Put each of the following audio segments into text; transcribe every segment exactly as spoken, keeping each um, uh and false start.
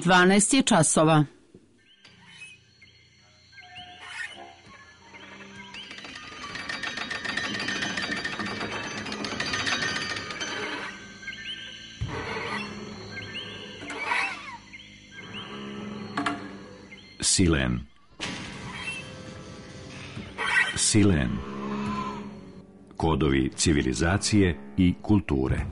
dvanaest je časova. Silen. Silen. Kodovi civilizacije i kulture.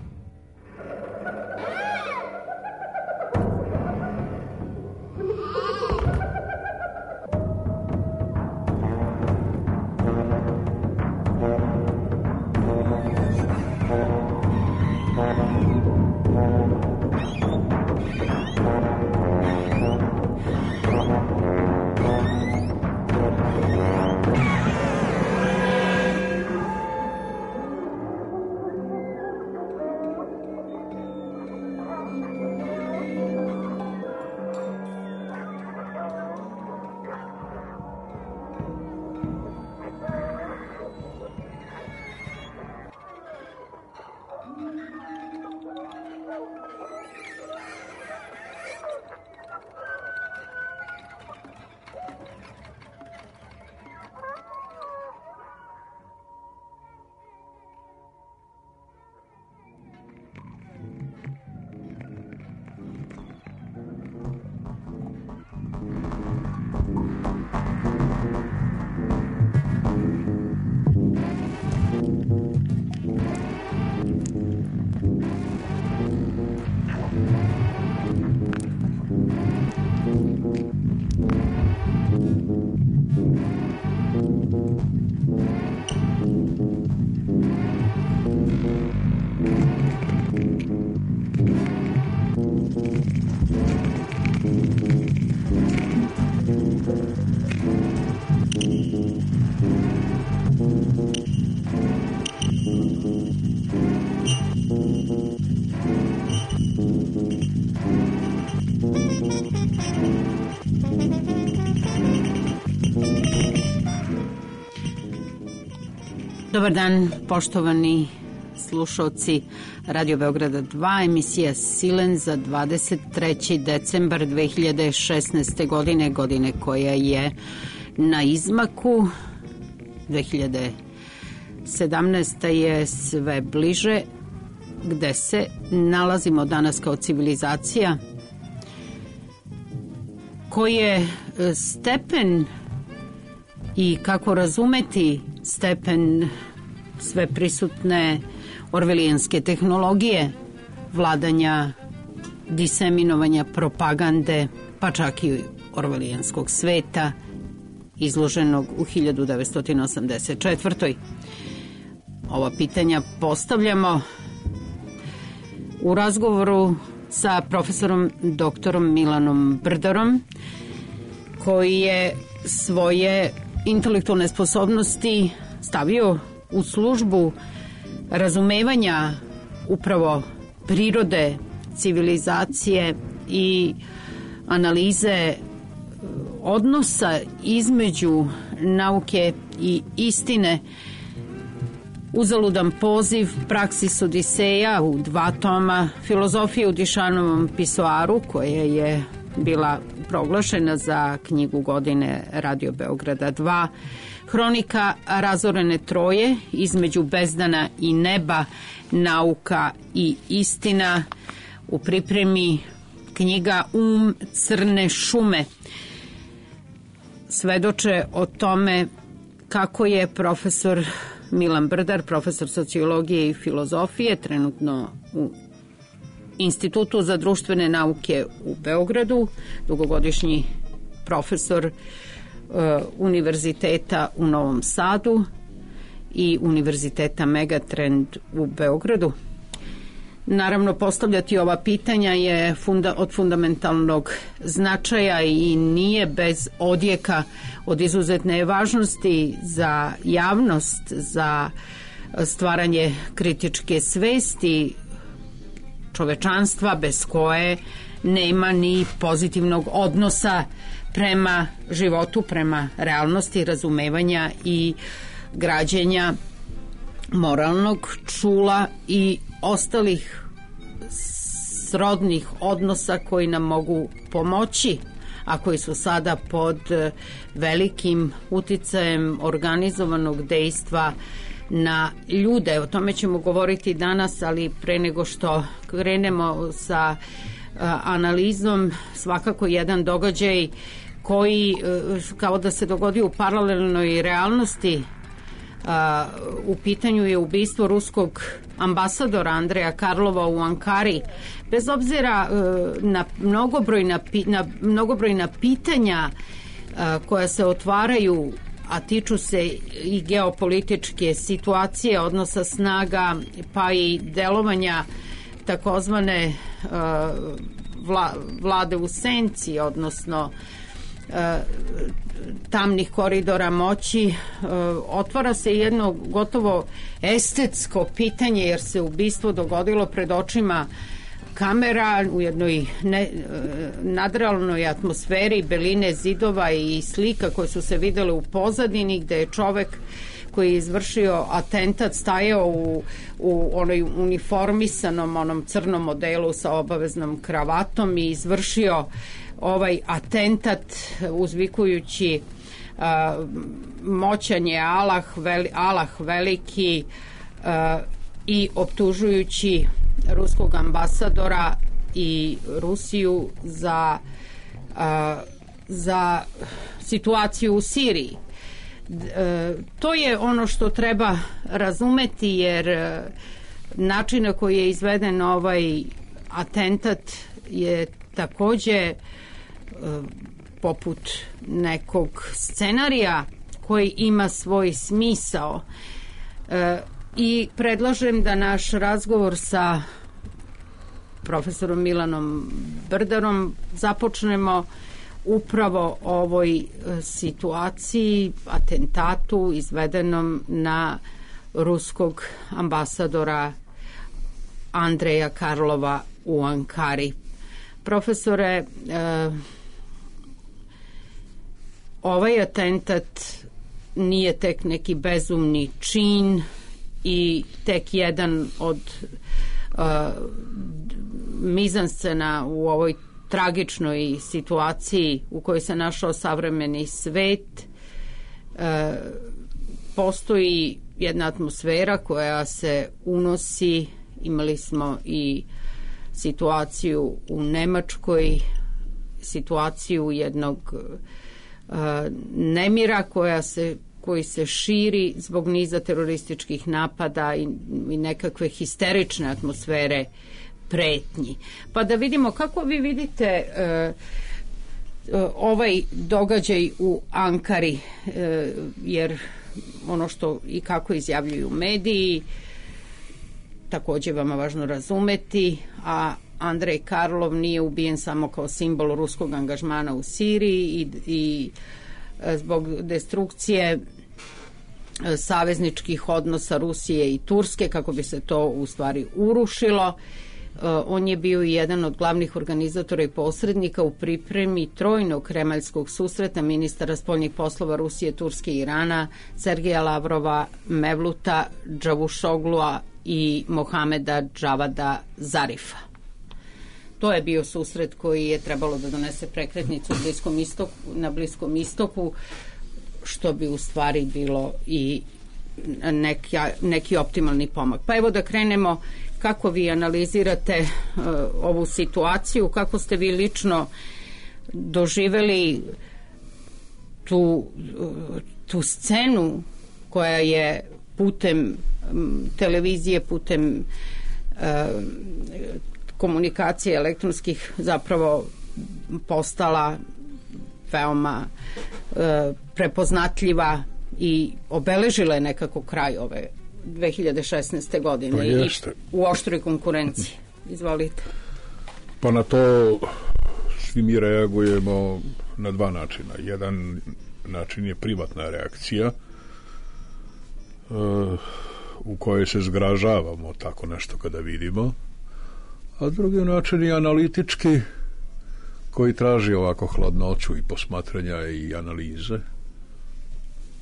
Dobar dan, poštovani slušalci Radio Beograda dva, emisija Silen za dvadeset treći decembar dve hiljade šesnaeste. godine, godine koja je na izmaku. dve hiljade sedamnaesta. je sve bliže. Gde se nalazimo danas kao civilizacija? Koji je stepen i kako razumeti stepen sve prisutne orvelijanske tehnologije, vladanja, diseminovanja, propagande, pa čak i orvelijanskog sveta, izloženog u hiljadu devetsto osamdeset četvrtoj. Ova pitanja postavljamo u razgovoru sa profesorom doktorom Milanom Brdarom, koji je svoje intelektualne sposobnosti stavio u službu razumevanja upravo prirode, civilizacije i analize odnosa između nauke i istine. Uzaludan poziv, Praksis Odiseja u dva toma, Filozofije u Dišanovom pisoaru, koja je bila proglašena za knjigu godine Radio Beograda dva, Hronika razorene Troje, Između bezdana i neba, Nauka i istina, u pripremi knjiga Um crne šume. Svedoče o tome kako je profesor Milan Brdar, profesor sociologije i filozofije, trenutno u Institutu za društvene nauke u Beogradu, dugogodišnji profesor uh, Univerziteta u Novom Sadu i Univerziteta Megatrend u Beogradu. Naravno, postavljati ova pitanja je funda, od fundamentalnog značaja i nije bez odjeka, od izuzetne važnosti za javnost, za stvaranje kritičke svesti čovečanstva, bez koje nema ni pozitivnog odnosa prema životu, prema realnosti, razumevanja i građenja moralnog čula i ostalih srodnih odnosa koji nam mogu pomoći, a koji su sada pod velikim uticajem organizovanog dejstva na ljude. O tome ćemo govoriti danas, ali pre nego što krenemo sa analizom, svakako jedan događaj koji kao da se dogodio u paralelnoj realnosti. U pitanju je ubistvo ruskog ambasadora Andreja Karlova u Ankari. Bez obzira na mnogobrojna, na mnogobrojna pitanja koja se otvaraju, a tiču se i geopolitičke situacije, odnosa snaga, pa i delovanja takozvane vla, vlade u senci, odnosno tamnih koridora moći, otvara se jedno gotovo estetsko pitanje, jer se ubistvo dogodilo pred očima kamera u jednoj ne, nadrealnoj atmosferi, beline zidova i slika koje su se videle u pozadini, gde je čovek koji je izvršio atentat stajao u, u onoj uniformisanom onom crnom modelu sa obaveznom kravatom i izvršio ovaj atentat uzvikujući uh, moćan je Allah, veli, Allah veliki uh, i optužujući ruskog ambasadora i Rusiju za, uh, za situaciju u Siriji. E, to je ono što treba razumeti, jer e, način na koji je izveden ovaj atentat je takođe e, poput nekog scenarija koji ima svoj smisao. E, i predlažem da naš razgovor sa profesorom Milanom Brdarom započnemo upravo ovoj situaciji, atentatu izvedenom na ruskog ambasadora Andreja Karlova u Ankari. Profesore, eh, ovaj atentat nije tek neki bezumni čin i tek jedan od eh, mizanscena u ovoj tragičnoj situaciji u kojoj se našao savremeni svet. E, postoji jedna atmosfera koja se unosi. Imali smo i situaciju u Nemačkoj, situaciju jednog e, nemira koja se, koji se širi zbog niza terorističkih napada i, i nekakve histerične atmosfere pretnji. Pa da vidimo kako vi vidite e, ovaj događaj u Ankari, e, jer ono što i kako izjavljuju mediji takođe vama važno razumeti, a Andrej Karlov nije ubijen samo kao simbol ruskog angažmana u Siriji i, i zbog destrukcije savezničkih odnosa Rusije i Turske, kako bi se to u stvari urušilo. On je bio i jedan od glavnih organizatora i posrednika u pripremi trojnog kremaljskog susreta ministara spoljnih poslova Rusije, Turske i Irana, Sergeja Lavrova, Mevluta Čavušoglua i Mohameda Džavada Zarifa. To je bio susret koji je trebalo da donese prekretnicu Bliskom istoku, na Bliskom istoku, što bi u stvari bilo i neki, neki optimalni pomak. Pa evo da krenemo. Kako vi analizirate uh, ovu situaciju, kako ste vi lično doživeli tu, uh, tu scenu koja je putem um, televizije, putem uh, komunikacije elektronskih zapravo postala veoma uh, prepoznatljiva i obeležila je nekako kraj ove dve hiljade šesnaeste. godine pa i u oštroj konkurenciji. Izvolite. Pa na to svi mi reagujemo na dva načina. Jedan način je privatna reakcija uh, u kojoj se zgražavamo tako nešto kada vidimo, a drugi način je analitički, koji traži ovako hladnoću i posmatranja i analize,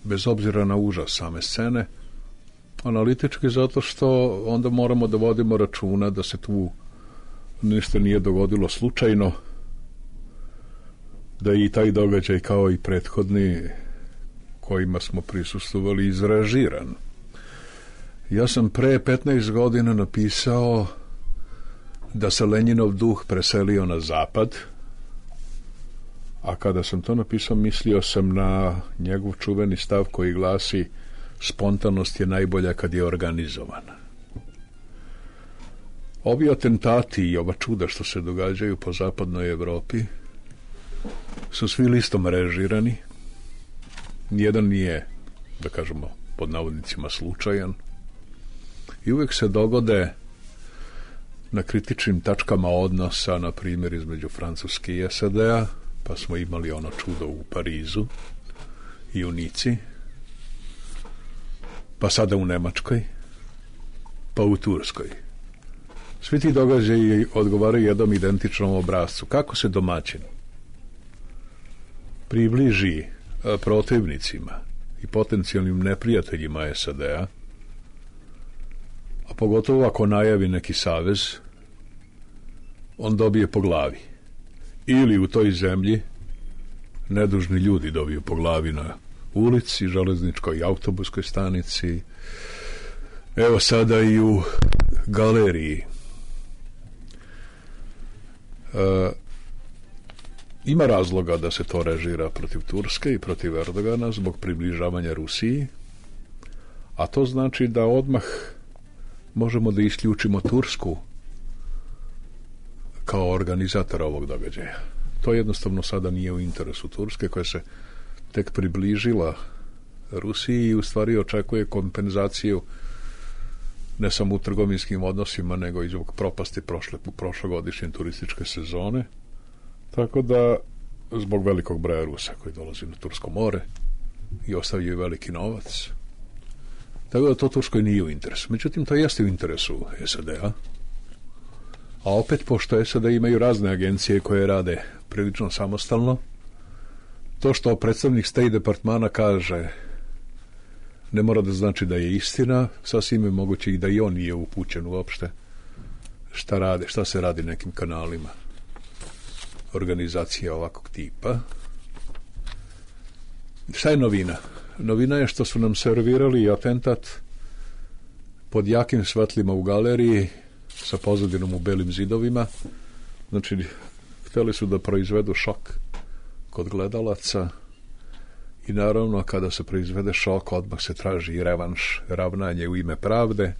bez obzira na užas same scene. Analitički zato što onda moramo da vodimo računa da se tu ništa nije dogodilo slučajno, da i taj događaj kao i prethodni kojima smo prisustvovali izrežiran. Ja sam pre petnaest godina napisao da se Lenjinov duh preselio na zapad, a kada sam to napisao mislio sam na njegov čuveni stav koji glasi: spontanost je najbolja kad je organizovana. Ovi atentati i ova čuda što se događaju po zapadnoj Evropi su svi listom režirani. Nijedan nije, da kažemo, pod navodnicima slučajan. I uvek se dogode na kritičnim tačkama odnosa, na primjer između Francuske i S A D-a, pa smo imali ono čudo u Parizu i u Nici, pa sada u Nemačkoj, pa u Turskoj. Svi ti događaji odgovaraju jednom identičnom obrazcu. Kako se domaćin približi protivnicima i potencijalnim neprijateljima S A D-a, a pogotovo ako najavi neki savez, on dobije po glavi. Ili u toj zemlji nedužni ljudi dobiju po glavi na ulici, železničkoj i autobuskoj stanici, evo sada i u galeriji. E, ima razloga da se to režira protiv Turske i protiv Erdogana zbog približavanja Rusiji, a to znači da odmah možemo da isključimo Tursku kao organizatora ovog događaja. To jednostavno sada nije u interesu Turske, koja se tek približila Rusiji i u stvari očekuje kompenzaciju ne samo u trgovinskim odnosima, nego i zbog propasti prošle, prošlogodišnje turističke sezone. Tako da, zbog velikog broja Rusa koji dolazi na Tursko more i ostavljaju veliki novac, tako da to Turskoj nije u interesu. Međutim, to jeste u interesu S A D-a, a opet, pošto S A D imaju razne agencije koje rade prilično samostalno, to što predstavnik State Departmana kaže ne mora da znači da je istina, sasvim je moguće i da i on nije upućen uopšte šta, rade, šta se radi nekim kanalima organizacija ovakvog tipa. Šta je novina? Novina je što su nam servirali atentat pod jakim svetlima u galeriji sa pozadinom u belim zidovima. Znači, hteli su da proizvedu šok kod gledalaca i naravno kada se proizvede šok odmah se traži i revanš, ravnanje u ime pravde,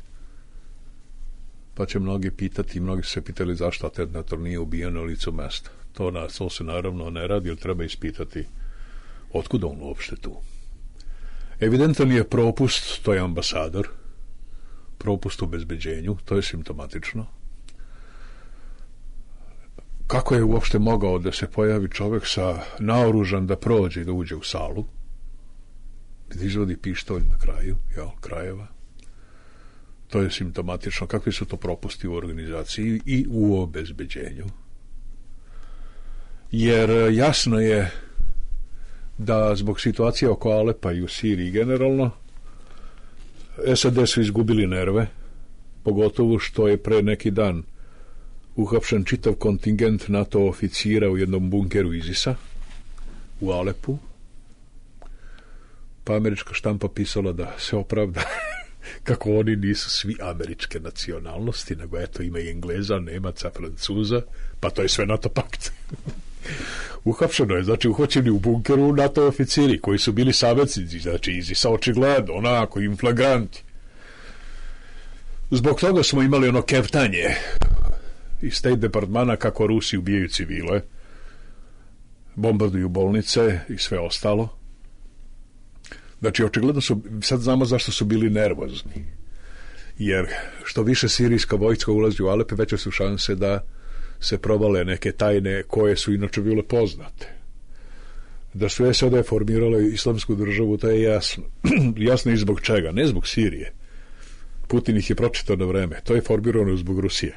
pa će mnogi pitati, mnogi su se pitali zašto atentator nije ubijen na licu mesta. To, na, to se naravno ne radi, jer treba ispitati otkud on uopšte tu. Evidentan je propust, to je ambasador, propust u bezbeđenju, to je simptomatično. Kako je uopšte mogao da se pojavi čovjek sa naoružan da prođe i da uđe u salu, da izvodi pištolj na kraju, jel, krajeva. To je simptomatično. Kakvi su to propusti u organizaciji i u obezbeđenju? Jer jasno je da zbog situacije oko Alepa i u Siriji generalno S A D su izgubili nerve, pogotovo što je pre neki dan uhapšen čitav kontingent NATO oficira u jednom bunkeru ISIS-a u Alepu, pa američka štampa pisala da se opravda kako oni nisu svi američke nacionalnosti, nego eto ima i Engleza, Nemaca, Francuza, pa to je sve NATO pakt. Uhapšeno je, znači uhvaćeni u bunkeru NATO oficiri koji su bili saveznici, znači ISIS-a očigledno, onako im flagranti. Zbog toga smo imali ono kevtanje iz State Departmana kako Rusi ubijaju civile, bombarduju bolnice i sve ostalo. Znači, očigledno su, sad znamo zašto su bili nervozni. Jer što više sirijska vojska ulazi u Alepe, veće su šanse da se provale neke tajne koje su inače bile poznate. Da su S A D formirale islamsku državu, to je jasno. Jasno i zbog čega, ne zbog Sirije. Putin ih je pročitao na vreme. To je formirano zbog Rusije.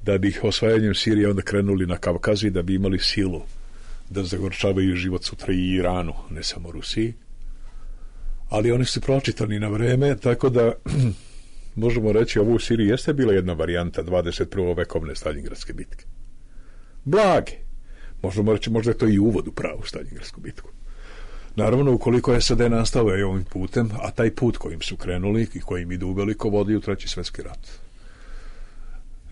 Da bi ih osvajanjem Sirije onda krenuli na Kavkaz i da bi imali silu da zagorčavaju život sutra i Iranu, ne samo Rusiji. Ali oni su pročitani na vreme, tako da možemo reći, ovo u Siriji jeste bila jedna varijanta dvadeset prve vekovne Staljingradske bitke. Blage. Možemo reći, možda je to i uvod u pravu Staljingradsku bitku. Naravno, ukoliko je S A D nastavio ovim putem, a taj put kojim su krenuli i kojim idu uveliko vodi u treći svjetski rat.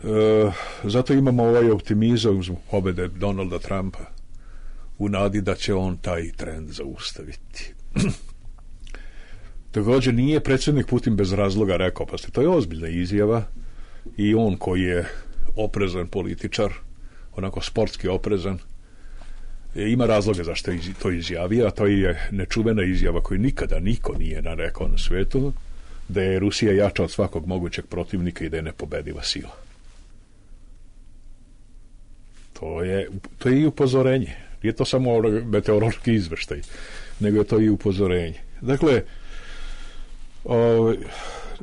E, zato imamo ovaj optimizam zbog pobjede Donalda Trumpa u nadi da će on taj trend zaustaviti. Također nije predsjednik Putin bez razloga rekao, pa ste, to je ozbiljna izjava i on koji je oprezan političar, onako sportski oprezan, ima razloga zašto je to izjavio, a to je nečuvena izjava koju nikada niko nije narekao na svijetu, da je Rusija jača od svakog mogućeg protivnika i da je nepobediva sila. To je, to je i upozorenje. Nije to samo meteorološki izveštaj, nego je to i upozorenje. Dakle, o,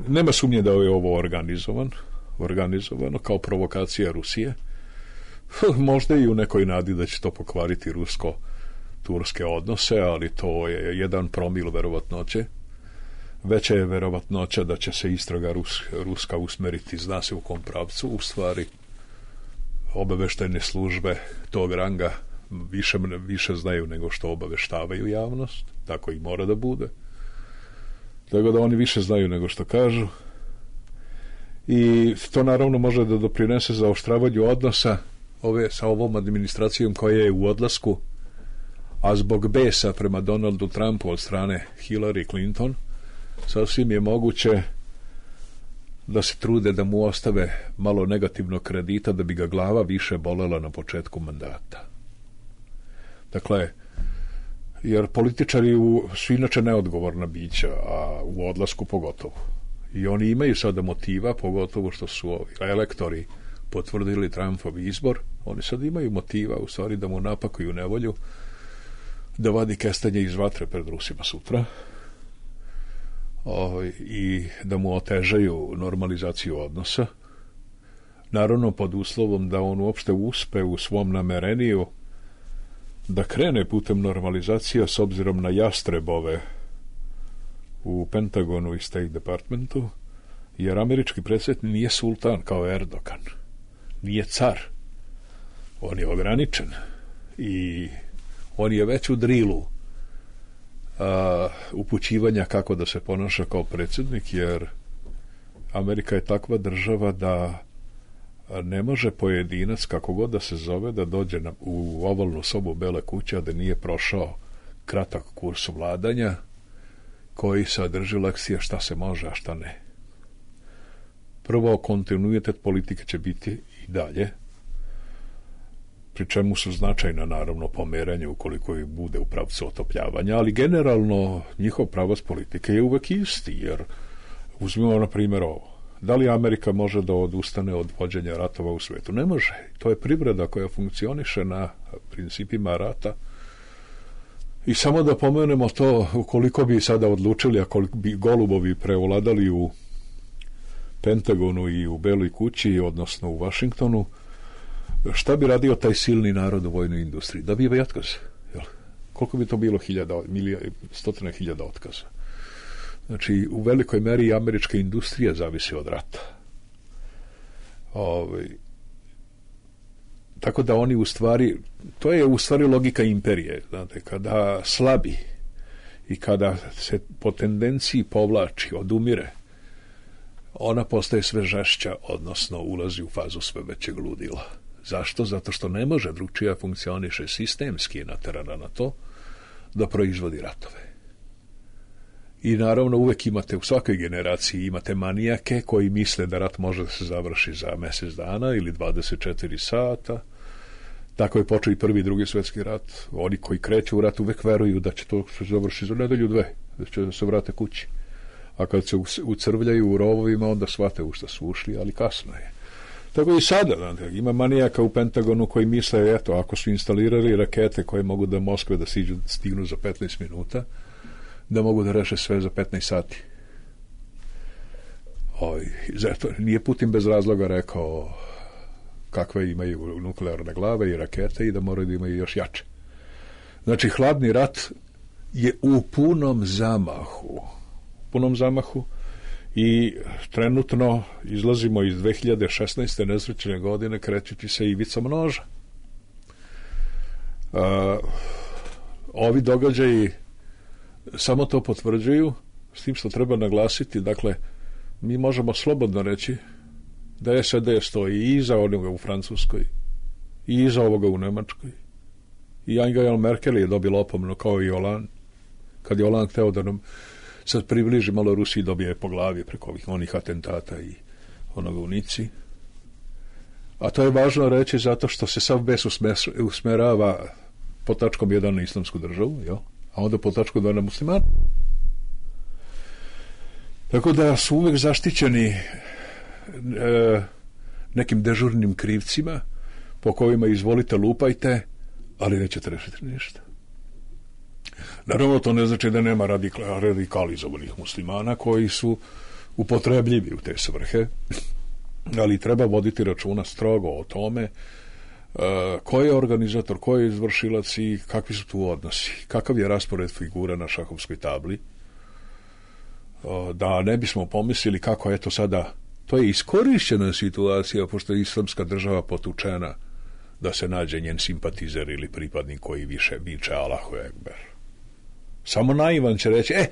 nema sumnje da je ovo organizovan, organizovano kao provokacija Rusije. Možda i u nekoj nadi da će to pokvariti rusko-turske odnose, ali to je jedan promil verovatnoće. Veća je verovatnoća da će se istraga Rus, ruska usmeriti, zna se u kom pravcu, u stvari obaveštajne službe tog ranga više, više znaju nego što obaveštavaju javnost, tako i mora da bude. Tako da oni više znaju nego što kažu. I to naravno može da doprinese zaoštravanju odnosa ove, sa ovom administracijom koja je u odlasku, a zbog besa prema Donaldu Trumpu od strane Hillary Clinton, sasvim je moguće da se trude da mu ostave malo negativnog kredita da bi ga glava više bolela na početku mandata. Dakle, jer političari u, su inače neodgovorna bića, a u odlasku pogotovo. I oni imaju sada motiva, pogotovo što su ovi elektori potvrdili Trumpov izbor, oni sad imaju motiva u stvari da mu napakuju nevolju, da vadi kestenje iz vatre pred Rusima sutra, o, i da mu otežaju normalizaciju odnosa, naravno pod uslovom da on uopšte uspe u svom namereniju da krene putem normalizacija s obzirom na jastrebove u Pentagonu i State Departmentu, jer američki predsjednik nije sultan kao Erdogan, nije car, on je ograničen i on je već u drilu a, upućivanja kako da se ponaša kao predsjednik, jer Amerika je takva država da ne može pojedinac, kako god da se zove, da dođe na, u ovalnu sobu Bele kuće, a da nije prošao kratak kurs vladanja koji sadrži lekcije šta se može, a šta ne. Prvo, kontinuitet politike će biti i dalje, pri čemu su značajna naravno pomeranje ukoliko i bude u pravcu otopljavanja, ali generalno njihov pravac politike je uvek isti, jer uzmimo na primjer ovo. Da li Amerika može da odustane od vođenja ratova u svijetu? Ne može. To je privreda koja funkcioniše na principima rata. I samo da pomenemo to, ukoliko bi sada odlučili, ako bi golubovi prevladali u Pentagonu i u Beloj kući, odnosno u Vašingtonu, šta bi radio taj silni narod u vojnoj industriji? Da bi je otkaz. Jel? Koliko bi to bilo? Hiljada, milija, stotine hiljada otkaza. Znači, u velikoj meri i američka industrija zavisi od rata. Ove, tako da oni u stvari, to je u stvari logika imperije, znate, kada slabi i kada se po tendenciji povlači, odumire, ona postaje sve žešća, odnosno ulazi u fazu sve većeg ludila. Zašto? Zato što ne može drugčija funkcioniše sistemski je naterana na to da proizvodi ratove. I naravno uvek imate u svakoj generaciji imate manijake koji misle da rat može da se završi za mjesec dana ili dvadeset četiri sata. Tako je počeo i prvi i drugi svjetski rat. Oni koji kreću u rat uvek veruju da će to se završiti za nedelju dve, da će se vrate kući. A kad se ucrvljaju u rovovima, onda shvate u šta su ušli, ali kasno je. Tako i sada, znate, ima manijaka u Pentagonu koji misle, eto, ako su instalirali rakete koje mogu da Moskve da siđu, stignu za petnaest minuta, da mogu da reše sve za petnaest sati. Oj, zato nije Putin bez razloga rekao kakve imaju nuklearne glave i rakete i da moraju da imaju još jače. Znači, hladni rat je u punom zamahu. Punom zamahu i trenutno izlazimo iz dve hiljade šesnaeste nesrećne godine krećući se ivicom noža. Uh, ovi događaji samo to potvrđuju, s tim što treba naglasiti, dakle, mi možemo slobodno reći da S A D stoji i iza onoga u Francuskoj i iza ovoga u Nemačkoj. I Angela Merkel je dobila opomenu kao i Hollande. Kad je Hollande hteo da nam sad približi malo Rusiji, dobije po glavi preko ovih onih atentata i onoga u Nici. A to je važno reći zato što se sav bes usmerava po tačkom jedan na islamsku državu, jo? A onda po tačkom dva na muslimana. Tako da su uvek zaštićeni e, nekim dežurnim krivcima po kojima izvolite lupajte, ali nećete rešiti ništa. Naravno, to ne znači da nema radikal, radikalizovanih muslimana koji su upotrebljivi u te svrhe, ali treba voditi računa strogo o tome uh, ko je organizator, ko je izvršilac i kakvi su tu odnosi, kakav je raspored figura na šahovskoj tabli, uh, da ne bismo pomislili kako je to sada, to je iskorišćena situacija, pošto je islamska država potučena da se nađe njen simpatizer ili pripadnik koji više viče Allahu Ekber. Samo naivan će reći, e,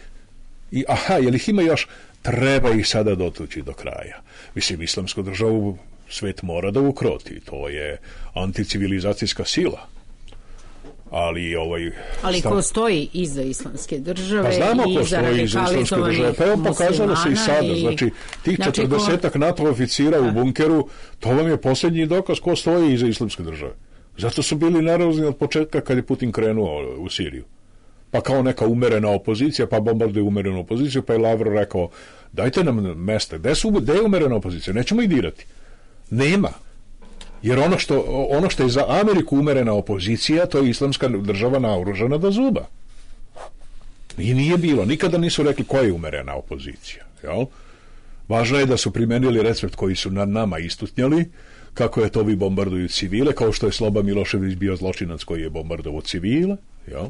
i, aha, jel ih ima još? Treba ih sada dotući do kraja. Mislim, islamsku državu svet mora da ukroti. To je anticivilizacijska sila. Ali ovaj... Ali stav... ko stoji iza islamske države, pa znamo i ko iza stoji iza islamske države. Pa evo pokazalo se i sada. I... Znači, tih znači, četrdesetak ko... NATO oficira u bunkeru, to vam je posljednji dokaz ko stoji iza islamske države. Zato su bili nervozni od početka kad je Putin krenuo u Siriju. Pa kao neka umerena opozicija, pa bombarduje umerenu opoziciju, pa je Lavrov rekao, dajte nam mesta, gde, su, gde je umerena opozicija, nećemo ih dirati. Nema. Jer ono što, ono što je za Ameriku umerena opozicija, to je islamska država naoružana do zuba. I nije bilo, nikada nisu rekli koja je umerena opozicija. Jel? Važno je da su primenili recept koji su nad nama istutnjali, kako je to vi bombarduju civile, kao što je Sloba Milošević bio zločinac koji je bombardovao civile, jel?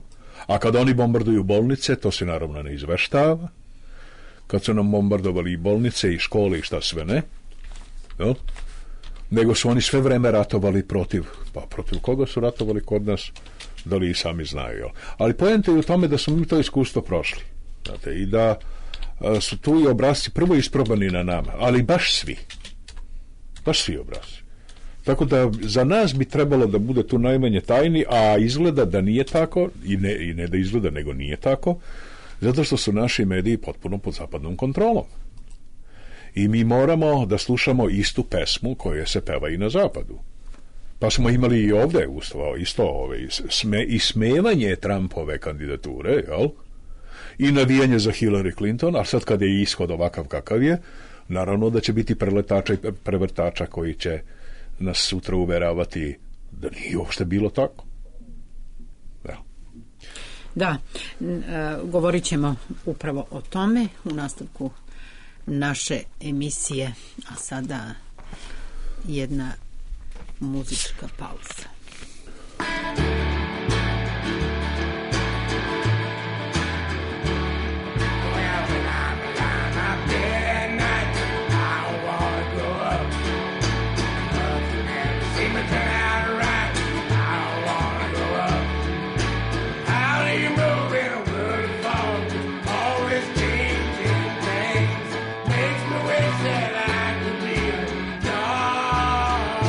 A kad oni bombarduju bolnice, to se naravno ne izveštava. Kad su nam bombardovali i bolnice i škole i šta sve ne, jel? Nego su oni sve vreme ratovali protiv, pa protiv koga su ratovali kod nas, da li i sami znaju, jel? Ali poenta je u tome da smo mi to iskustvo prošli, znate, i da a, su tu i obrazci prvo isprobani na nama, ali baš svi, baš svi obrazci. Tako da za nas bi trebalo da bude tu najmanje tajni, a izgleda da nije tako, i ne, i ne da izgleda, nego nije tako, zato što su naši mediji potpuno pod zapadnom kontrolom. I mi moramo da slušamo istu pesmu koja se peva i na zapadu. Pa smo imali i ovde ustavo, isto ove, sme, i smevanje Trumpove kandidature, jel? I navijanje za Hillary Clinton, a sad kad je ishod ovakav kakav je, naravno da će biti preletača i prevrtača koji će nas sutra uveravati da nije uopšte bilo tako. Ja. Da, govorit ćemo upravo o tome u nastavku naše emisije, a sada jedna muzička pauza. Makes me wish that I could be a dog. Oh,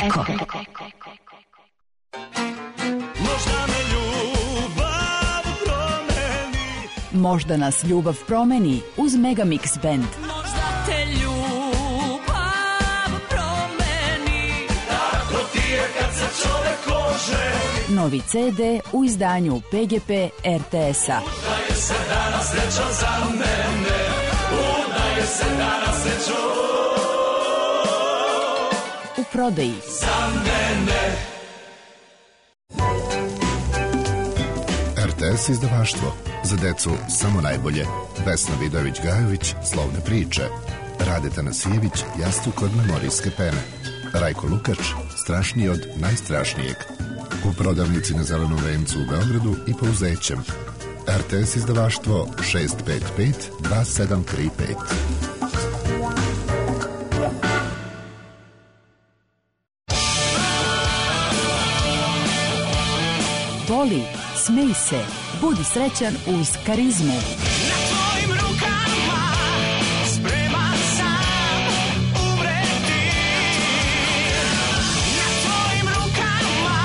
Eko. Možda me ljubav promeni. Možda nas ljubav promeni uz Megamix Band. Možda te ljubav promeni. Tako ti je kad se čovek oženi. Novi ce de u izdanju P G P R T S-a. Udaje se danas srećan za mene. Udaje se danas srećan u prodaji. Za mene. R T S izdavaštvo. Za decu samo najbolje. Vesna Vidojević-Gajović, Slovne priče. Rade Tanasijević, Jastuk kod memorijske pene. Rajko Lukač, Strašniji od najstrašnijeg. U prodavnici na Zelenom vencu u Beogradu i Pouzećem. R T S izdavaštvo šest pet pet dva sedam tri pet. Voli, smej se, budi srećan uz Karizmu. Na tvojim rukama spreman sam umreti. Na tvojim rukama.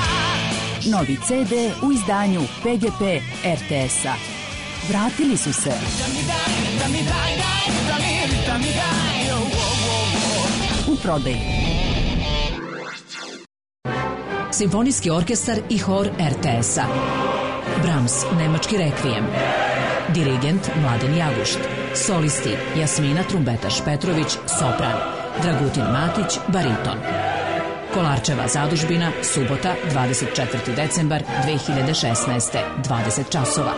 Novi ce de u izdanju P G P R T S-a. Vratili su se. Da mi daj, da mi daj, daj, da mi, da mi daj, oh, oh, oh. U prodaji. Simfonijski orkestar i hor R T S-a. Brahms, nemački rekvijem. Dirigent Mladen Jagušt. Solisti Jasmina Trumbetaš-Petrović, sopran. Dragutin Matić, bariton. Kolarčeva zadužbina, subota, dvadeset četvrti decembar dve hiljade šesnaeste, dvadeset časova.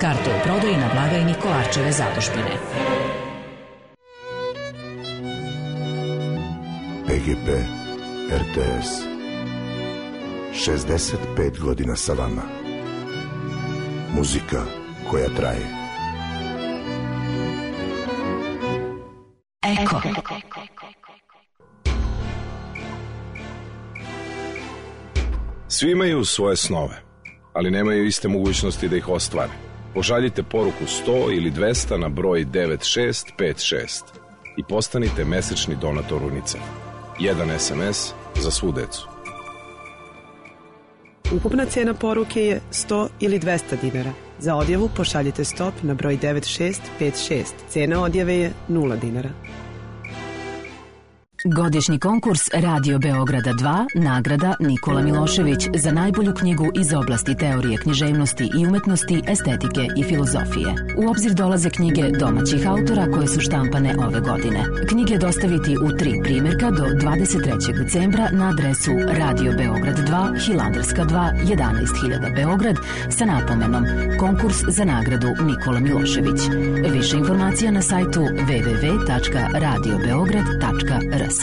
Karte u prodaji na blagajni Kolarčeve zadužbine. P G P R T S. šezdeset pet godina sa vama. Muzika koja traje. Eko. Svi imaju svoje snove, ali nemaju iste mogućnosti da ih ostvare. Pošaljite poruku sto ili dvesta na broj devet šest pet šest i postanite mesečni donator UNICEF. Jedan es em es za svu decu. Ukupna cena poruke je sto ili dvesta dinara. Za odjavu pošaljite stop na broj devet šest pet šest. Cena odjave je nula dinara. Godišnji konkurs Radio Beograda dva, nagrada Nikola Milošević za najbolju knjigu iz oblasti teorije književnosti i umetnosti, estetike i filozofije. U obzir dolaze knjige domaćih autora koje su štampane ove godine. Knjige dostaviti u tri primjerka do dvadeset trećeg decembra na adresu Radio Beograd dva, Hilandarska dva, jedanaest hiljada Beograd sa napomenom Konkurs za nagradu Nikola Milošević. Više informacija na sajtu w w w tačka radio beograd tačka r s.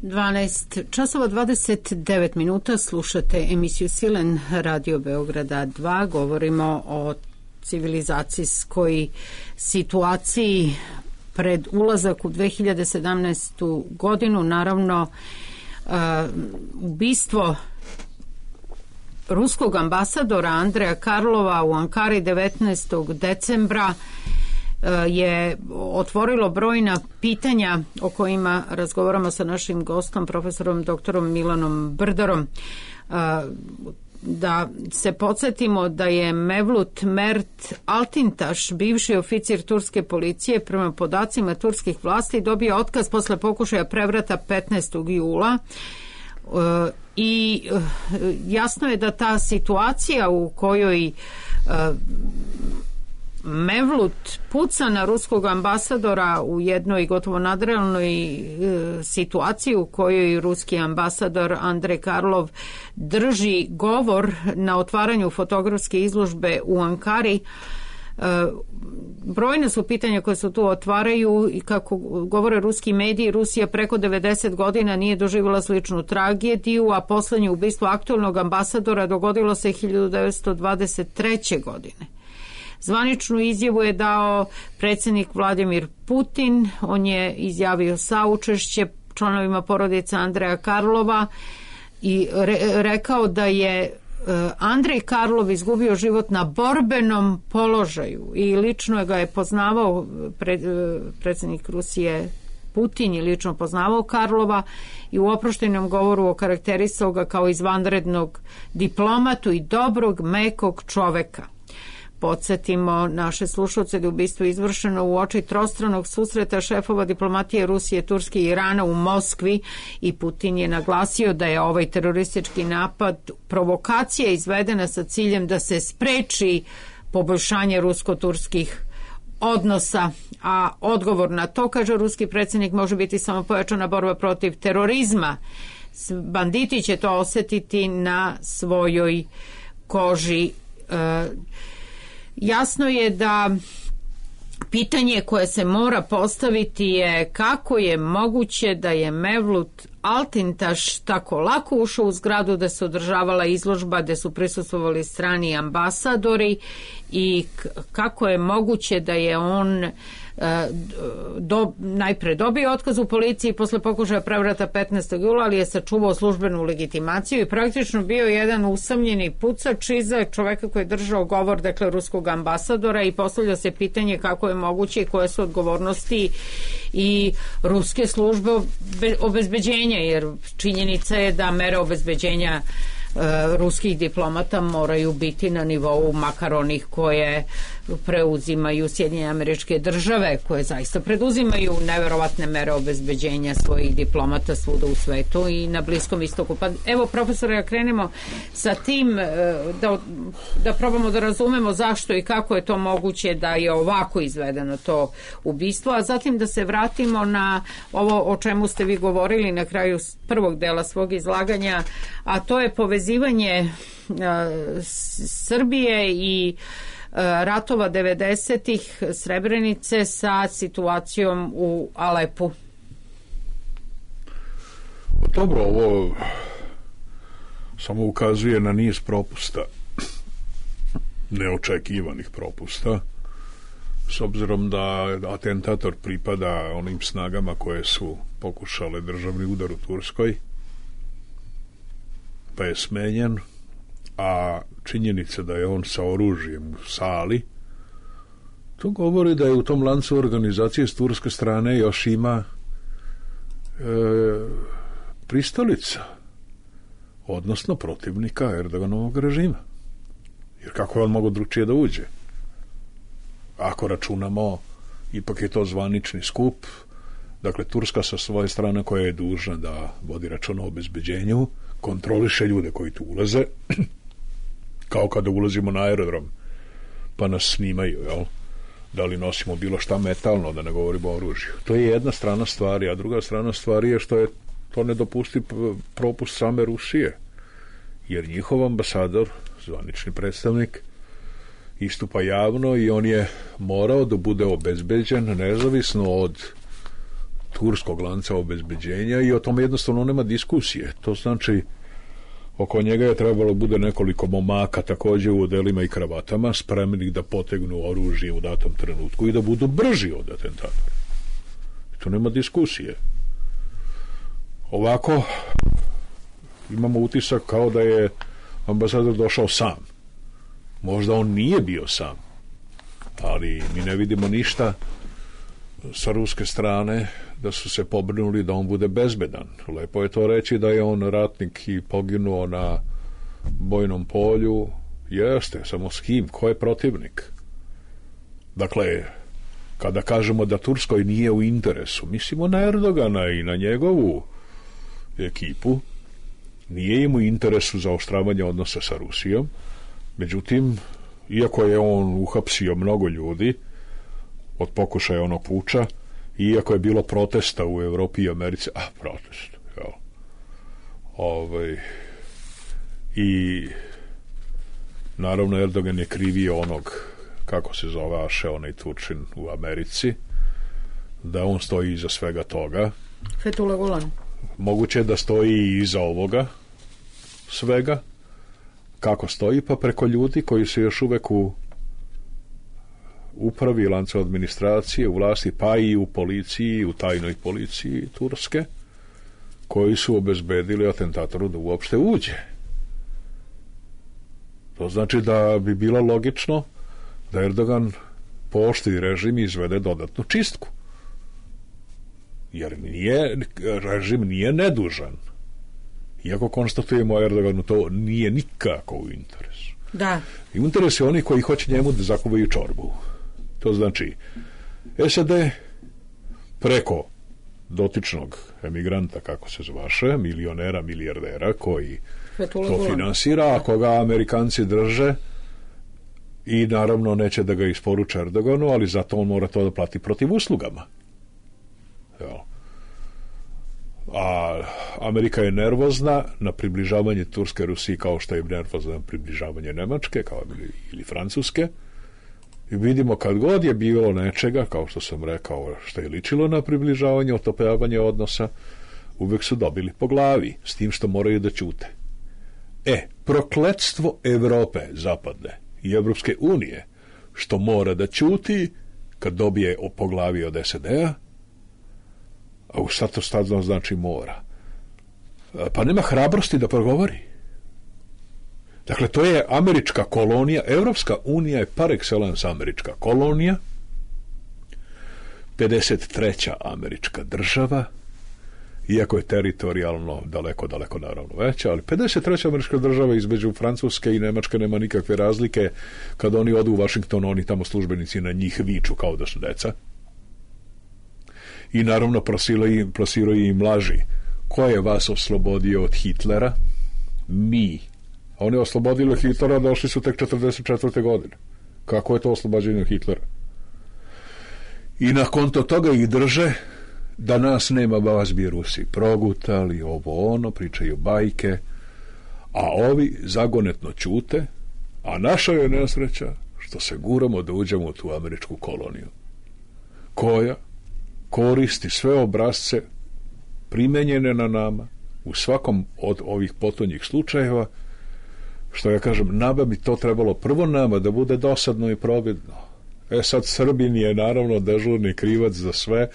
dvanaest časova dvadeset devet minuta, slušate emisiju Silen Radio Beograda dva. Govorimo o civilizacijskoj situaciji pred ulazak u dve hiljade sedamnaestu godinu. Naravno, Uh, ubistvo ruskog ambasadora Andreja Karlova u Ankari devetnaestog decembra uh, je otvorilo brojna pitanja o kojima razgovaramo sa našim gostom, profesorom doktorom Milanom Brdarom. Uh, da se podsjetimo da je Mevlut Mert Altintaš, bivši oficir turske policije, prema podacima turskih vlasti dobio otkaz posle pokušaja prevrata petnaestog jula i jasno je da ta situacija u kojoj Mevlut puca na ruskog ambasadora u jednoj gotovo nadrealnoj e, situaciji u kojoj ruski ambasador Andrej Karlov drži govor na otvaranju fotografske izložbe u Ankari. E, brojne su pitanja koje se tu otvaraju i kako govore ruski mediji, Rusija preko devedeset godina nije doživjela sličnu tragediju, a poslednje ubistvo aktualnog ambasadora dogodilo se hiljadu devetsto dvadeset treće. godine. Zvaničnu izjavu je dao predsjednik Vladimir Putin. On je izjavio saučešće članovima porodice Andreja Karlova i re, rekao da je Andrej Karlov izgubio život na borbenom položaju i lično ga je poznavao pred, predsjednik Rusije Putin je lično poznavao Karlova i u oproštenom govoru okarakterisao ga kao izvanrednog diplomatu i dobrog, mekog čoveka. Podsjetimo naše slušalce da je ubistvo izvršeno u oči trostranog susreta šefova diplomatije Rusije, Turske i Irana u Moskvi i Putin je naglasio da je ovaj teroristički napad provokacija izvedena sa ciljem da se spreči poboljšanje rusko-turskih odnosa, a odgovor na to, kaže ruski predsjednik, može biti samo pojačana borba protiv terorizma. Banditi će to osjetiti na svojoj koži. E, jasno je da pitanje koje se mora postaviti je kako je moguće da je Mevlut Altintaš tako lako ušao u zgradu da se održavala izložba, da su prisustvovali strani ambasadori i kako je moguće da je on do, najpre dobio otkaz u policiji posle pokušaja prevrata petnaestog jula, ali je sačuvao službenu legitimaciju i praktično bio jedan usamljeni pucač iza čoveka koji je držao govor, dakle ruskog ambasadora, i postavlja se pitanje kako je moguće i koje su odgovornosti i ruske službe obezbeđenja, jer činjenica je da mere obezbeđenja ruskih diplomata moraju biti na nivou makar onih koje preuzimaju Sjedinjene Američke Države, koje zaista preduzimaju neverovatne mere obezbeđenja svojih diplomata svuda u svetu i na Bliskom istoku. Pa evo, profesore, ja krenemo sa tim da, da probamo da razumemo zašto i kako je to moguće da je ovako izvedeno to ubistvo, a zatim da se vratimo na ovo o čemu ste vi govorili na kraju prvog dela svog izlaganja, a to je povezivanje Srbije i ratova devedesetih, Srebrenice, sa situacijom u Alepu. Dobro, ovo samo ukazuje na niz propusta, neočekivanih propusta, s obzirom da atentator pripada onim snagama koje su pokušale državni udar u Turskoj, pa je smenjen, a činjenica da je on sa oružjem u sali, to govori da je u tom lancu organizacije s turske strane još ima e, pristalica, odnosno protivnika Erdoganovog režima. Jer kako je on mogo drugčije da uđe? Ako računamo, ipak je to zvanični skup, dakle Turska sa svoje strane koja je dužna da vodi računa o obezbeđenju, kontroliše ljude koji tu ulaze, kao kada ulazimo na aerodrom pa nas snimaju, jel? Da li nosimo bilo šta metalno, da ne govorimo o oružju. To je jedna strana stvari, a druga strana stvari je što je to nedopusti propust same Rusije, jer njihov ambasador, zvanični predstavnik, istupa javno i on je morao da bude obezbeđen nezavisno od turskog lanca obezbeđenja i o tome jednostavno nema diskusije. To znači oko njega je trebalo bude nekoliko momaka također u odelima i kravatama spremnih da potegnu oružje u datom trenutku i da budu brži od atentatora. To nema diskusije. Ovako imamo utisak kao da je ambasador došao sam. Možda on nije bio sam, ali mi ne vidimo ništa sa ruske strane da su se pobrinuli da on bude bezbedan. Lepo je to reći da je on ratnik i poginuo na bojnom polju. Jeste, samo s kim? Ko je protivnik? Dakle, kada kažemo da Turskoj nije u interesu, mislimo na Erdogana i na njegovu ekipu. Nije im u interesu za oštravanje odnosa sa Rusijom. Međutim, iako je on uhapsio mnogo ljudi od pokušaja onog puča, iako je bilo protesta u Evropi i Americi, a protest, jel? Ovaj, i naravno Erdogan je krivio onog, kako se zove Aše, onaj Turčin u Americi, da on stoji iza svega toga. Fethullah Gulen. Moguće da stoji i iza ovoga svega. Kako stoji? Pa preko ljudi koji su još uvek u upravi lanca administracije, u vlasti, pa i u policiji, u tajnoj policiji Turske, koji su obezbedili atentatoru da uopšte uđe. To znači da bi bilo logično da Erdogan pooštri režim i izvede dodatnu čistku. Jer nije, režim nije nedužan. Iako konstatujemo Erdoganu, to nije nikako u interesu. Da. I interes je oni koji hoće njemu da zakuvaju čorbu. To znači S A D preko dotičnog emigranta, kako se zvaše, milionera, milijardera koji Fethullah to Gulen finansira, a koga Amerikanci drže i naravno neće da ga isporuče Erdoganu, ali zato on mora to da plati protiv uslugama. Jel? A Amerika je nervozna na približavanje Turske Rusiji kao što je nervozna na približavanje Nemačke kao ili, ili Francuske. I vidimo kad god je bilo nečega, kao što sam rekao, što je ličilo na približavanje, otopljavanje odnosa, uvek su dobili po glavi, s tim što moraju da ćute. E, prokletstvo Evrope zapadne i Evropske unije, što mora da ćuti kad dobije po glavi od S A D-a, a u šta to stadno znači mora? Pa nema hrabrosti da progovori. Dakle, to je američka kolonija, Evropska unija je par excellence američka kolonija, pedeset treća američka država, iako je teritorijalno daleko, daleko naravno veća, ali pedeset treća američka država između Francuske i Nemačke nema nikakve razlike. Kad oni odu u Washington, oni tamo službenici na njih viču kao da su deca. I naravno plasiraju im laži. Ko je vas oslobodio od Hitlera? Mi. A oni oslobodili Hitlera, došli su tek četrdeset četvrte godine. Kako je to oslobađenje od Hitlera? I na konto toga ih drže da nas nema, vas bi Rusi progutali, ovo ono, pričaju bajke, a ovi zagonetno ćute, a naša je nesreća što se guramo da uđemo u tu američku koloniju, koja koristi sve obrazce primenjene na nama u svakom od ovih potonjih slučajeva, što ja kažem, nama bi to trebalo prvo nama da bude dosadno i providno. E sad, Srbin je naravno dežurni krivac za sve,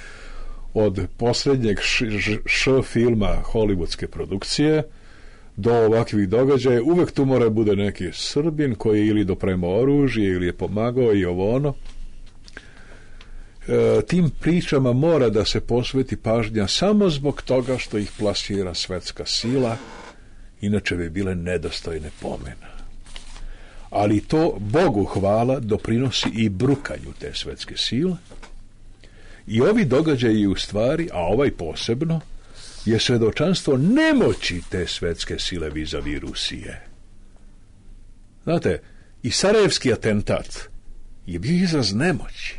od posljednjeg š, š, š filma hollywoodske produkcije do ovakvih događaja. Uvek tu mora bude neki Srbin koji je ili dopremao oružje ili je pomagao i ovo ono. E, tim pričama mora da se posveti pažnja samo zbog toga što ih plasira svetska sila, inače bi bile nedostojne pomena. Ali to, Bogu hvala, doprinosi i brukanju te svetske sile. I ovi događaji u stvari, a ovaj posebno, je svedočanstvo nemoći te svetske sile vis-a-vis Rusije. Znate, i sarajevski atentat je bio izraz nemoći.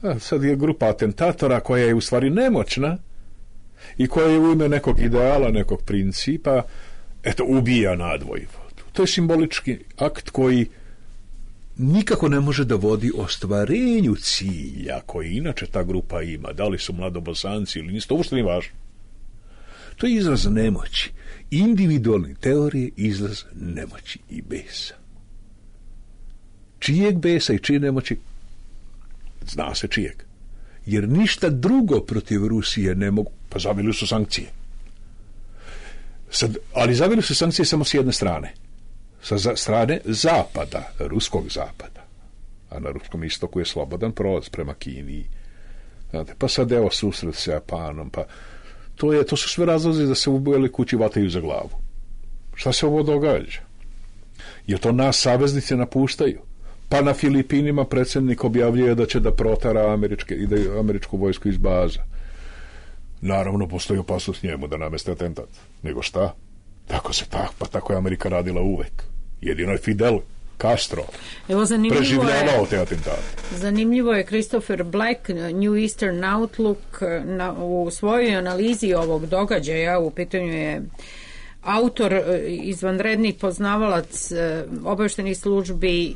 A sad je grupa atentatora koja je u stvari nemoćna i koja je u ime nekog ideala, nekog principa, eto, ubija nadvojvodu. To je simbolički akt koji nikako ne može da vodi ostvarenju cilja koji inače ta grupa ima. Da li su mladobosanci ili nisu, to uopšte nije važno. To je izraz nemoći. Individualne teorije izraz nemoći i besa. Čijeg besa i čije nemoći? Zna se čijeg. Jer ništa drugo protiv Rusije ne mogu, pa zavili su sankcije. Sad, ali zavili su sankcije samo s jedne strane. Sa strane zapada, ruskog zapada. A na ruskom istoku je slobodan prolaz prema Kini. Znate, pa sad evo susret s Japanom, pa to, je, to su sve razlozi da se u Beloj kući vataju za glavu. Šta se ovo događa? Jer to nas saveznici napuštaju. Pa na Filipinima predsjednik objavljuje da će da protara američke, ide američku vojsku iz baza. Naravno, postoji opasnost njemu da nameste atentat. Nego šta? Tako se tak, pa tako je Amerika radila uvek. Jedino je Fidel Castro Evo, preživljavao te atentate. Zanimljivo je Christopher Black, New Eastern Outlook, na, u svojoj analizi ovog događaja, u pitanju je autor, izvanredni poznavalac obaveštenih službi,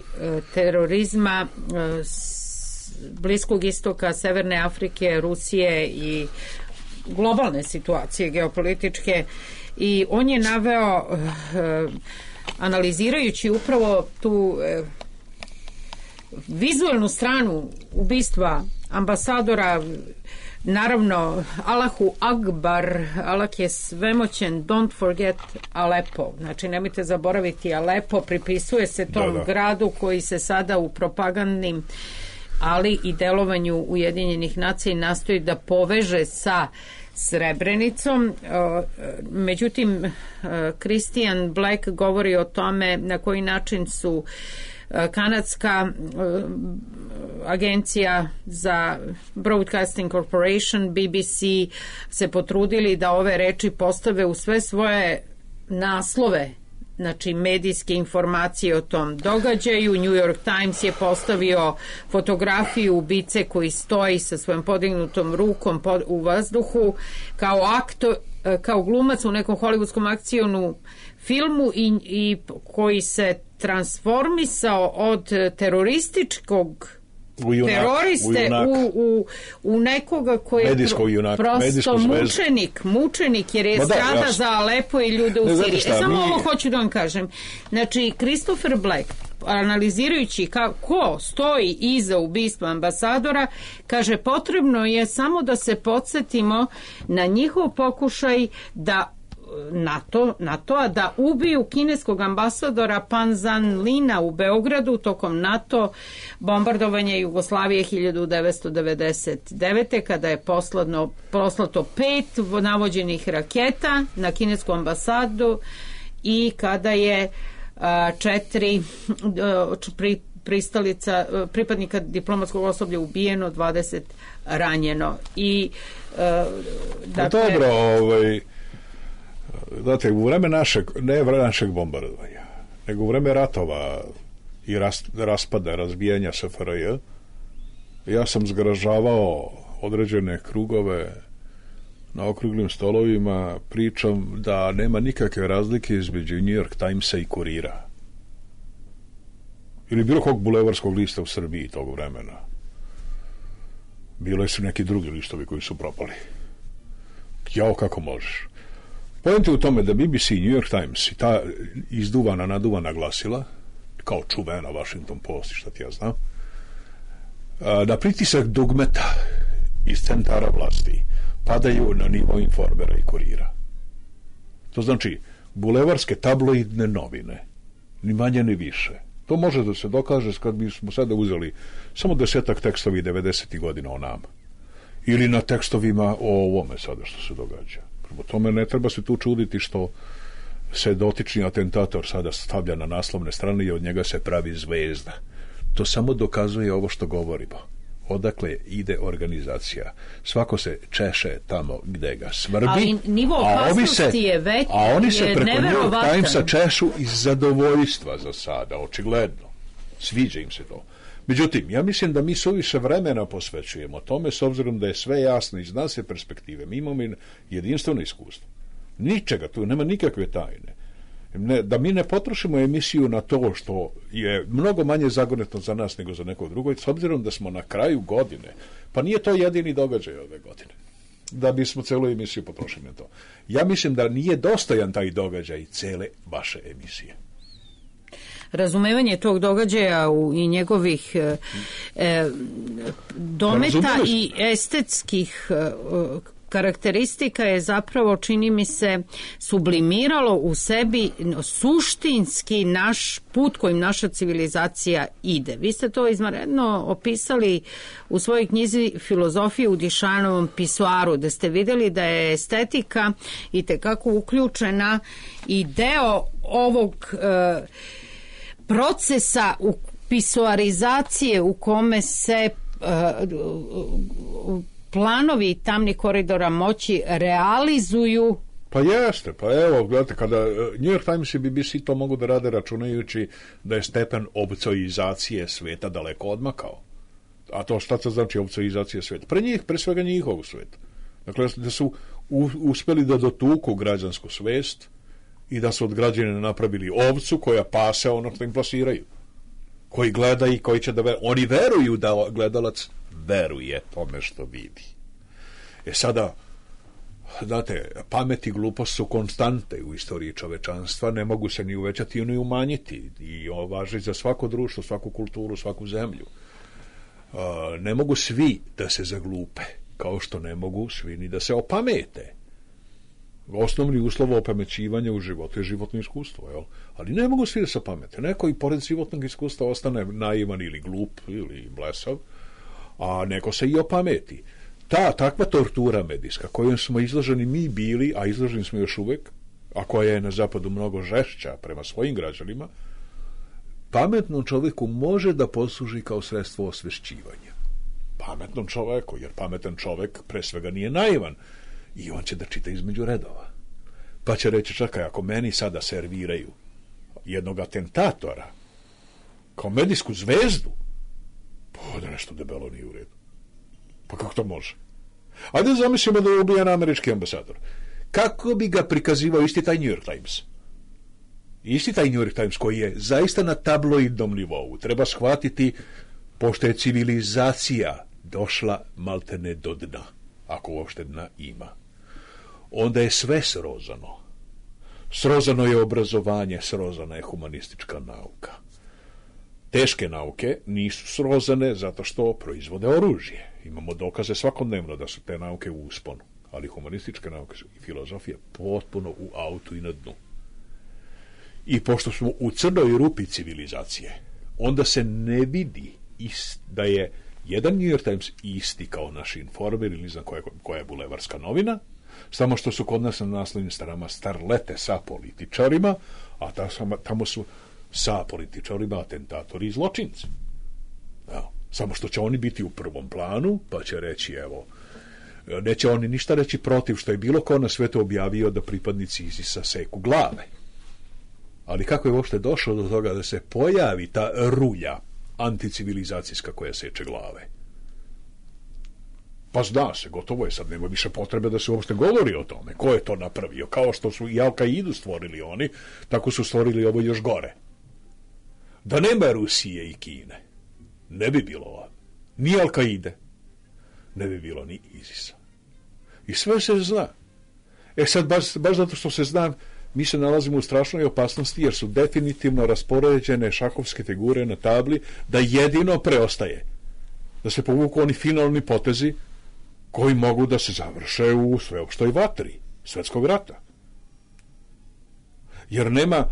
terorizma, Bliskog istoka, Severne Afrike, Rusije i globalne situacije geopolitičke, i on je naveo, analizirajući upravo tu vizualnu stranu ubistva ambasadora naravno, Allahu Akbar, Allah je svemoćen, don't forget Alepo. Znači, nemojte zaboraviti Alepo, pripisuje se tom da, da. gradu koji se sada u propagandnim, ali i delovanju Ujedinjenih nacija nastoji da poveže sa Srebrenicom. Međutim, Christian Black govori o tome na koji način su kanadska agencija za Broadcasting Corporation, B B C, se potrudili da ove reči postave u sve svoje naslove, znači medijske informacije o tom događaju. New York Times je postavio fotografiju ubice koji stoji sa svojom podignutom rukom pod, u vazduhu kao aktor, kao glumac u nekom hollywoodskom akcionu filmu i, i koji se transformisao od terorističkog Junak, teroriste u, u, u, u nekoga koji je junak, prosto mučenik, mučenik jer je strada da, za Alepo i ljude u Siriji. E, samo mi... ovo hoću da vam kažem. Znači, Christopher Black, analizirajući kako stoji iza ubistva ambasadora, kaže, potrebno je samo da se podsjetimo na njihov pokušaj da NATO, NATO-a da ubiju kineskog ambasadora Pan Zan Lina u Beogradu tokom NATO bombardovanja Jugoslavije hiljadu devetsto devedeset devete. kada je posladno, poslato pet navođenih raketa na kinesku ambasadu i kada je a, četiri a, pri, pristalica, a, pripadnika diplomatskog osoblja ubijeno, dvadeset ranjeno. I a, dakle, dobro, ovaj znate, u vreme našeg, ne vreme našeg bombardovanja, nego u vreme ratova i ras, raspada, razbijanja S F R J, ja sam zgražavao određene krugove na okruglim stolovima pričom da nema nikakve razlike između New York Timesa i Kurira. Ili bilo kog bulevarskog lista u Srbiji tog vremena. Bile su neki drugi listovi koji su propali. Jao, kako možeš. Pojente u tome da B B C, New York Times i ta izduvana, naduvana glasila, kao čuvena Washington Post, šta ti ja znam, da pritisak dugmeta iz centara vlasti padaju na nivo Informera i Kurira. To znači, bulevarske tabloidne novine, ni manje ni više. To može da se dokaže kad bismo sada uzeli samo desetak tekstovi devedesetih godina o nama. Ili na tekstovima o ovome sada što se događa. Prvo tome ne treba se tu čuditi što se dotični atentator sada stavlja na naslovne strane i od njega se pravi zvezda. To samo dokazuje ovo što govorimo. Odakle ide organizacija. Svako se češe tamo gde ga svrbi. Ali nivo opasnosti je već, a oni se preko New York Timesa nevjerovatan. češu iz zadovoljstva za sada, očigledno. Sviđa im se to. Međutim, ja mislim da mi suviše vremena posvećujemo tome, s obzirom da je sve jasno iz nas perspektive. Mi imamo jedinstveno iskustvo. Ničega, tu nema nikakve tajne. Ne, da mi ne potrošimo emisiju na to što je mnogo manje zagonetno za nas nego za nekog drugog, s obzirom da smo na kraju godine, pa nije to jedini događaj ove godine, da bismo celu emisiju potrošili na to. Ja mislim da nije dostojan taj događaj cele vaše emisije. Razumevanje tog događaja u, i njegovih e, e, dometa i estetskih e, karakteristika je zapravo, čini mi se, sublimiralo u sebi suštinski naš put kojim naša civilizacija ide. Vi ste to izvanredno opisali u svojoj knjizi Filozofije u Dišanovom pisoaru, da ste vidjeli da je estetika i tekako uključena i deo ovog e, procesa u pisoarizacije u kome se uh, planovi tamnih koridora moći realizuju. Pa jeste, pa evo, gledajte, kada New York Times i B B C to mogu da rade računajući da je stepen obcoizacije sveta daleko odmakao. A to šta to znači obcoizacija sveta? Pre njih, pre svega njihovog sveta. Dakle, da su u, uspeli da dotuku građansku svest i da su od građana napravili ovcu koja pase ono što im plasiraju. Koji gleda i koji će da veruje. Oni veruju da gledalac veruje tome što vidi. E sada, znate, pamet i glupost su konstante u istoriji čovečanstva, ne mogu se ni uvećati ni umanjiti. I ovo važi za svako društvo, svaku kulturu, svaku zemlju. Uh, ne mogu svi da se zaglupe. kao što ne mogu svi ni da se opamete. Osnovni uslov opamećivanja u životu je životno iskustvo, jel? Ali ne mogu svi da se opamete. Neko i pored životnog iskustva ostane naivan ili glup ili blesav, a neko se i opameti. Ta takva tortura medijska kojom smo izloženi mi bili, a izloženi smo još uvek, a koja je na zapadu mnogo žešća prema svojim građanima, pametnom čovjeku može da posluži kao sredstvo osvešćivanja. Pametnom čoveku, jer pametan čovjek pre svega nije naivan i on će da čita između redova. Pa će reći, čekaj, ako meni sada serviraju jednog atentatora kao medijsku zvezdu, pa da nešto debelo nije u redu. Pa kako to može? Ajde zamislimo da je ubijan američki ambasador. Kako bi ga prikazivao isti taj New York Times? Isti taj New York Times koji je zaista na tabloidnom nivou. Treba shvatiti, pošto je civilizacija došla maltene do dna, ako uopšte dna ima. Onda je sve srozano. Srozano je obrazovanje, srozana je humanistička nauka. Teške nauke nisu srozane zato što proizvode oružje. Imamo dokaze svakodnevno da su te nauke u usponu, ali humanističke nauke i filozofija potpuno u autu i na dnu. I pošto smo u crnoj rupi civilizacije, onda se ne vidi ist, da je jedan New York Times isti kao naš Informer ili ne znam koja, koja je bulevarska novina, samo što su kod nas na naslovnim stranama starlete sa političarima, a tamo su sa političarima atentatori i zločinci. Ja, samo što će oni biti u prvom planu, pa će reći, evo, neće oni ništa reći protiv što je bilo ko na svetu objavio da pripadnici ISIS-a seku glave. Ali kako je uopšte došlo do toga da se pojavi ta rulja anticivilizacijska koja seče glave? Pa zna se, gotovo je, sad nema više potrebe da se uopšte govori o tome. Ko je to napravio? Kao što su i Al-Kaidu stvorili oni, tako su stvorili ovo još gore. Da nema Rusije i Kine, ne bi bilo ni Al-Kaide, ne bi bilo ni ISIS-a. I sve se zna. E sad, baš, baš zato što se zna, mi se nalazimo u strašnoj opasnosti jer su definitivno raspoređene šahovske figure na tabli da jedino preostaje da se povuku oni finalni potezi koji mogu da se završe u sveopštoj vatri svetskog rata. Jer nema,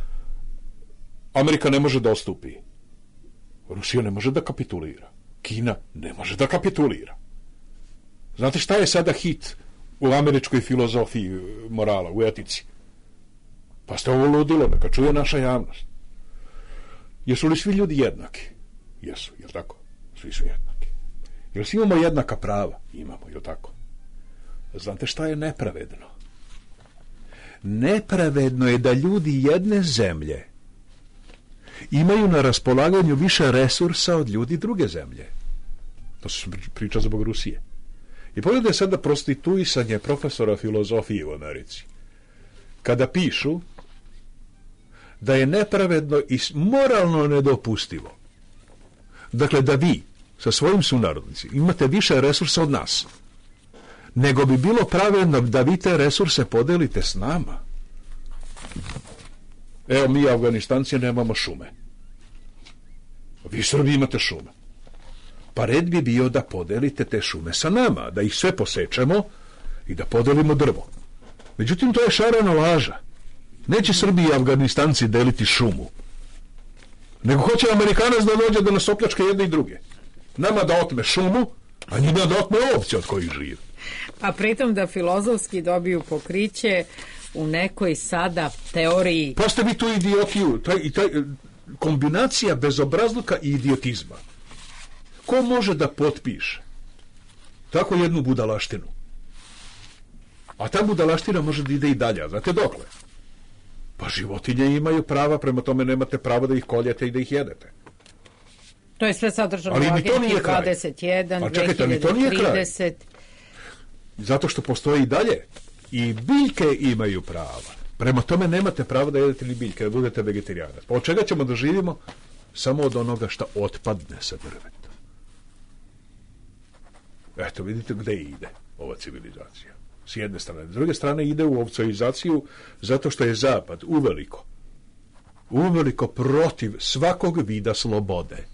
Amerika ne može da ostupi, Rusija ne može da kapitulira, Kina ne može da kapitulira. Znate šta je sada hit u američkoj filozofiji morala, u etici? Pa ste ovo ludilo, neka čuje naša javnost. Jesu li svi ljudi jednaki? Jesu, jel tako? Svi su jednaki. Jel svi imamo jednaka prava? Imamo, jel tako? Znate šta je nepravedno? Nepravedno je da ljudi jedne zemlje imaju na raspolaganju više resursa od ljudi druge zemlje. To se priča zbog Rusije. I pogledaj sada prostituisanje profesora filozofije u Americi. Kada pišu da je nepravedno i moralno nedopustivo, dakle da vi sa svojim sunarodnicima imate više resursa od nas, nego bi bilo pravedno da vi te resurse podelite s nama. Evo, mi Afganistanci nemamo šume, vi Srbi imate šume, pa red bi bio da podelite te šume sa nama, da ih sve posečemo i da podelimo drvo. Međutim, to je šarena laža. Neće Srbi i Afganistanci deliti šumu, nego hoće Amerikanac da dođe da nas opljačka jedne i druge. Nama da otme šumu, a njima da otme ovce od kojih žive. A pritom da filozofski dobiju pokriće u nekoj sada teoriji. Postavi tu idiotiju, taj, i taj, kombinacija bezobrazluka i idiotizma. Ko može da potpiše tako jednu budalaštinu? A ta budalaština može da ide i dalje. Znate dokle? Pa životinje imaju prava, prema tome nemate pravo da ih koljete i da ih jedete. To je sve sadržano u Agendi dvadeset jedan, dve hiljade trideset. Zato što postoje i dalje. I biljke imaju prava. Prema tome nemate pravo da jedete ni biljke, da budete vegetarijanac. Pa od čega ćemo da živimo? Samo od onoga što otpadne sa drveta. Eto, vidite gde ide ova civilizacija. S jedne strane. S druge strane ide u ovcoizaciju zato što je Zapad uveliko, uveliko protiv svakog vida slobode.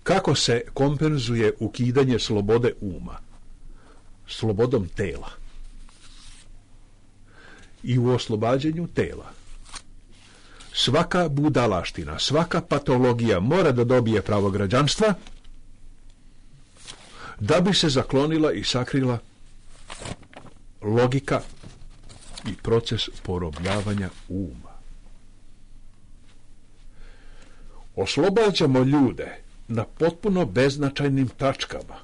Kako se kompenzuje ukidanje slobode uma? Slobodom tela. I u oslobađanju tela svaka budalaština, svaka patologija mora da dobije pravo građanstva da bi se zaklonila i sakrila logika i proces porobljavanja uma. Oslobađamo ljude na potpuno beznačajnim tačkama.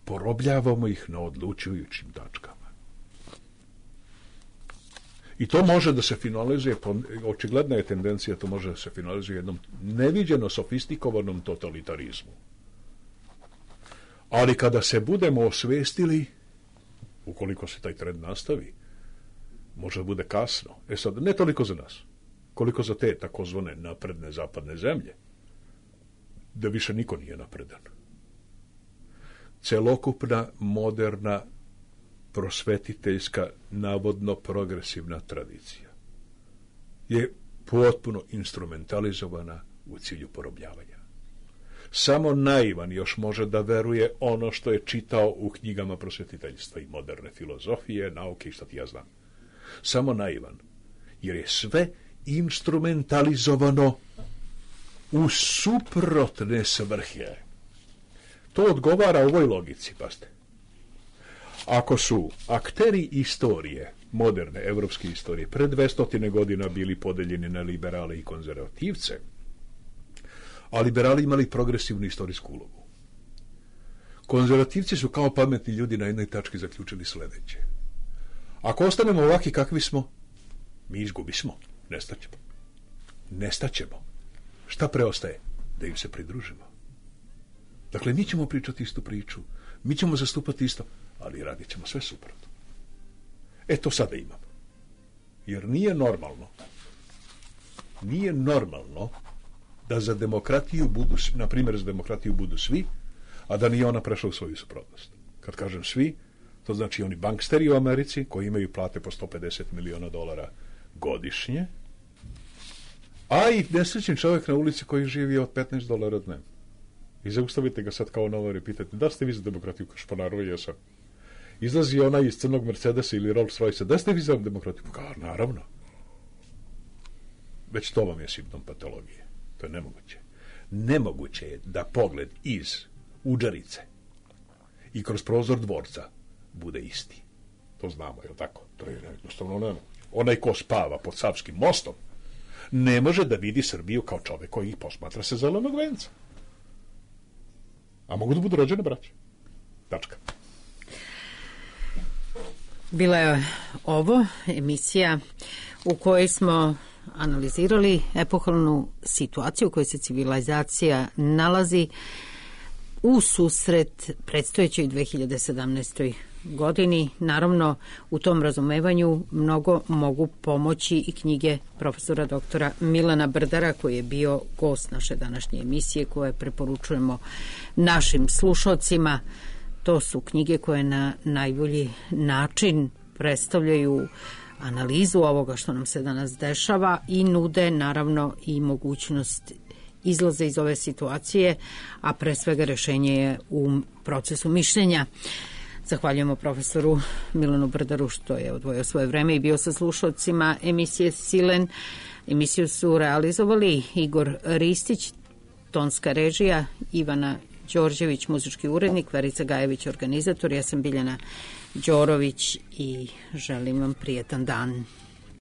Porobljavamo ih na odlučujućim tačkama. I to može da se finalizuje, očigledna je tendencija, to može da se finalizuje jednom neviđeno sofistikovanom totalitarizmu. Ali kada se budemo osvestili, ukoliko se taj trend nastavi, može da bude kasno. E sad, ne toliko za nas, koliko za te takozvane napredne zapadne zemlje, da više niko nije napredan. Celokupna, moderna, prosvetiteljska, navodno progresivna tradicija je potpuno instrumentalizovana u cilju porobljavanja. Samo naivan još može da veruje ono što je čitao u knjigama prosvetiteljstva i moderne filozofije, nauke i šta ti ja znam. Samo naivan, jer je sve instrumentalizovano u suprotne svrhe. To odgovara ovoj logici, pazite. Ako su akteri istorije, moderne evropske istorije, pre dvesta godina bili podeljeni na liberale i konzervativce, a liberali imali progresivnu istorijsku ulogu. Konzervativci su kao pametni ljudi na jednoj tački zaključili sledeće. Ako ostanemo ovaki kakvi smo, mi izgubismo, nestaćemo. Nestaćemo. Šta preostaje? Da im se pridružimo. Dakle, mi ćemo pričati istu priču, mi ćemo zastupati isto, ali radit ćemo sve suprotno. E, to sada imamo. Jer nije normalno, nije normalno da za demokratiju budu, na primjer za demokratiju budu svi, a da nije ona prešla u svoju suprotnost. Kad kažem svi, to znači oni banksteri u Americi koji imaju plate po sto pedeset miliona dolara godišnje, a i nesrećni čovjek na ulici koji živi od petnaest dolara dnevno. I zaustavite ga sad kao novar i pitate, da ste vi za demokratiju? Kaš, pa naravno jesam. Izlazi onaj iz crnog Mercedesa ili Rolls Royce, da ste vi za demokratiju? Pa naravno. Već to vam je simptom patologije. To je nemoguće. Nemoguće je da pogled iz udžarice i kroz prozor dvorca bude isti. To znamo, je li tako? To je jednostavno nemoguće. Onaj ko spava pod Savskim mostom ne može da vidi Srbiju kao čovek koji ih posmatra sa zelenog venca. A mogu da budu rođene braće. Tačka. Bila je ovo emisija u kojoj smo analizirali epohalnu situaciju u kojoj se civilizacija nalazi u susret predstojećoj dve hiljade sedamnaestoj godini. Naravno, u tom razumevanju mnogo mogu pomoći i knjige profesora doktora Milana Brdara, koji je bio gost naše današnje emisije, koje preporučujemo našim slušalcima. To su knjige koje na najbolji način predstavljaju analizu ovoga što nam se danas dešava i nude naravno i mogućnost izlaze iz ove situacije, a pre svega rešenje je u procesu mišljenja. Zahvaljujemo profesoru Milanu Brdaru što je odvojio svoje vreme i bio sa slušalcima emisije Silen. Emisiju su realizovali Igor Ristić, tonska režija, Ivana Đorđević, muzički urednik, Verica Gajević, organizator. Ja sam Biljana Đorović i želim vam prijetan dan.